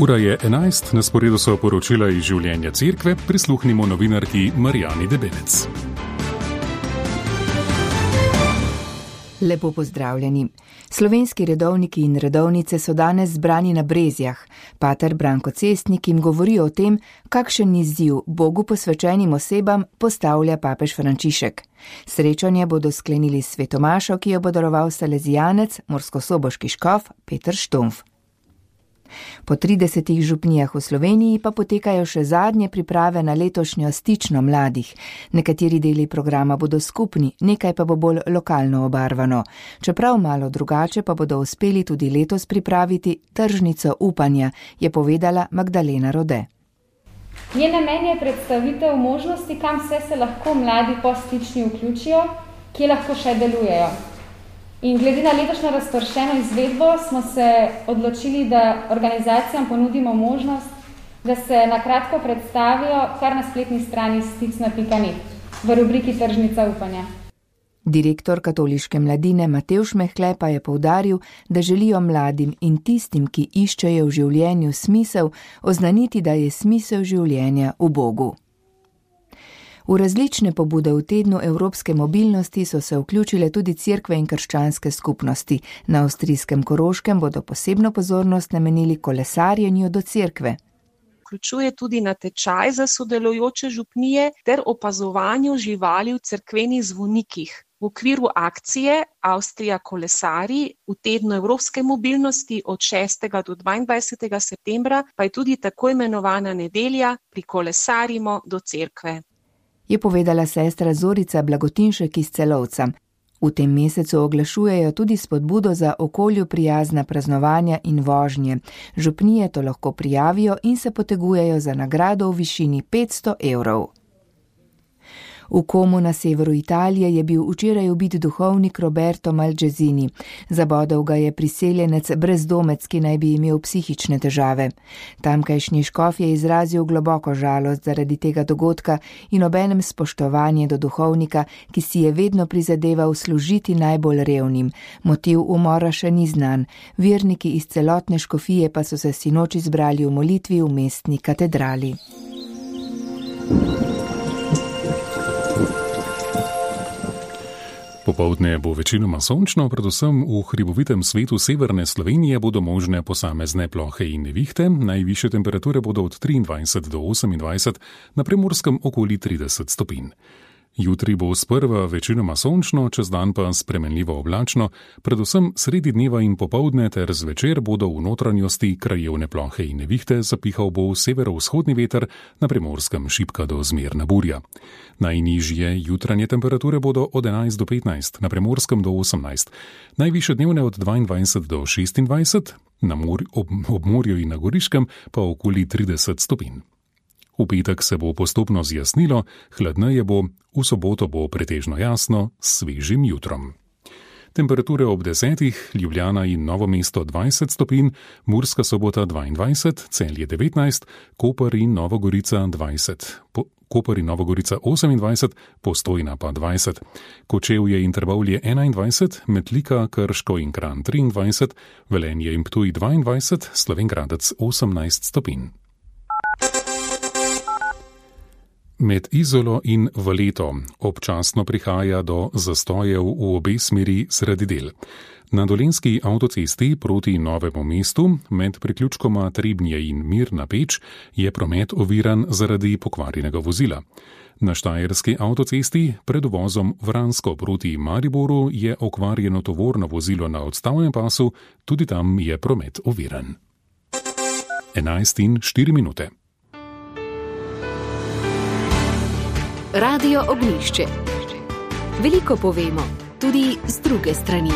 Ura je 11, na sporedu so poročila iz življenja cerkve, prisluhnimo novinarki Marijani Debelec. Lepo pozdravljeni. Slovenski redovniki in redovnice so danes zbrani na Brezjah. Pater Branko Cestnik jim govori o tem, kakšen izziv Bogu posvečenim osebam postavlja papež Frančišek. Srečanje bodo sklenili s svetomašo, ki jo bo daroval salezijanec, murskosoboški škof Peter Štumf. Po 30 župnijah v Sloveniji pa potekajo še zadnje priprave na letošnjo stično mladih. Nekateri deli programa bodo skupni, nekaj pa bo bolj lokalno obarvano. Čeprav malo drugače pa bodo uspeli tudi letos pripraviti tržnico upanja, je povedala Magdalena Rode. Njen namen je predstavitev možnosti, kam vse se lahko mladi po stični vključijo, kje lahko še delujejo. In glede na letošnjo razpršeno izvedbo smo se odločili, da organizacijam ponudimo možnost, da se na kratko predstavijo kar na spletni strani sticna.net v rubriki Tržnica upanja. Direktor katoliške mladine Matevž Mehle pa je poudaril, da želijo mladim in tistim, ki iščejo v življenju smisel, oznaniti, da je smisel življenja v Bogu. V različne pobude v tednu evropske mobilnosti so se vključile tudi cerkve in krščanske skupnosti. Na avstrijskem Koroškem bodo posebno pozornost namenili kolesarjenju do cerkve. Vključuje tudi natečaj za sodelujoče župnije ter opazovanju živali v cerkvenih zvonikih. V okviru akcije Avstrija kolesari v tednu evropske mobilnosti od 6. do 22. septembra pa je tudi tako imenovana nedelja Prikolesarimo do cerkve. Je povedala sestra Zorica Blagotinšek iz Celovca. V tem mesecu oglašujejo tudi spodbudo za okolju prijazna praznovanja in vožnje. Župnije to lahko prijavijo in se potegujejo za nagrado v višini 500 evrov. V Komu na severu Italije je bil včeraj ubit duhovnik Roberto Malgezini. Zabodel ga je priseljenec brezdomec, ki naj bi imel psihične težave. Tamkajšnji škof je izrazil globoko žalost zaradi tega dogodka in obenem spoštovanje do duhovnika, ki si je vedno prizadeval služiti najbolj revnim. Motiv umora še ni znan. Verniki iz celotne škofije pa so se sinoči zbrali v molitvi v mestni katedrali. Popoldne bo večinoma sončno, predvsem v hribovitem svetu severne Slovenije bodo možne posamezne plohe in nevihte, najvišje temperature bodo od 23 do 28, na Primorskem okoli 30 stopinj. Jutri bo sprva večinoma sončno, čez dan pa spremenljivo oblačno, predvsem sredi dneva in popoldne ter zvečer bodo v notranjosti krajevne plohe in nevihte, zapihal bo severovzhodni veter, na Primorskem šibka do zmerna burja. Najnižje jutranje temperature bodo od 11 do 15, na Primorskem do 18, najvišje dnevne od 22 do 26, ob morju in na Goriškem pa okoli 30 stopinj. V petek se bo postopno zjasnilo, hladneje bo, v soboto bo pretežno jasno, s svežim jutrom. Temperature ob 10, Ljubljana in Novo mesto 20 stopinj, Murska Sobota 22, Celje 19, Koper in Novogorica 20, Koper in Novogorica 28, Postojna pa 20, Kočevje in Trbovlje 21, Metlika, Krško in Kranj 23, Velenje in Ptuj 22, Slovenj Gradec 18 stopinj. Med Izolo in Valeto občasno prihaja do zastojev v obe smeri sredi del. Na Dolenjski avtocesti proti Novemu mestu med priključkoma Trebnje in Mirna Peč je promet oviran zaradi pokvarjenega vozila. Na Štajerski avtocesti pred uvozom Vransko proti Mariboru je okvarjeno tovorno vozilo na odstavnem pasu, tudi tam je promet oviran. 11:04. Radio Ognjišče. Veliko povemo, tudi z druge strani.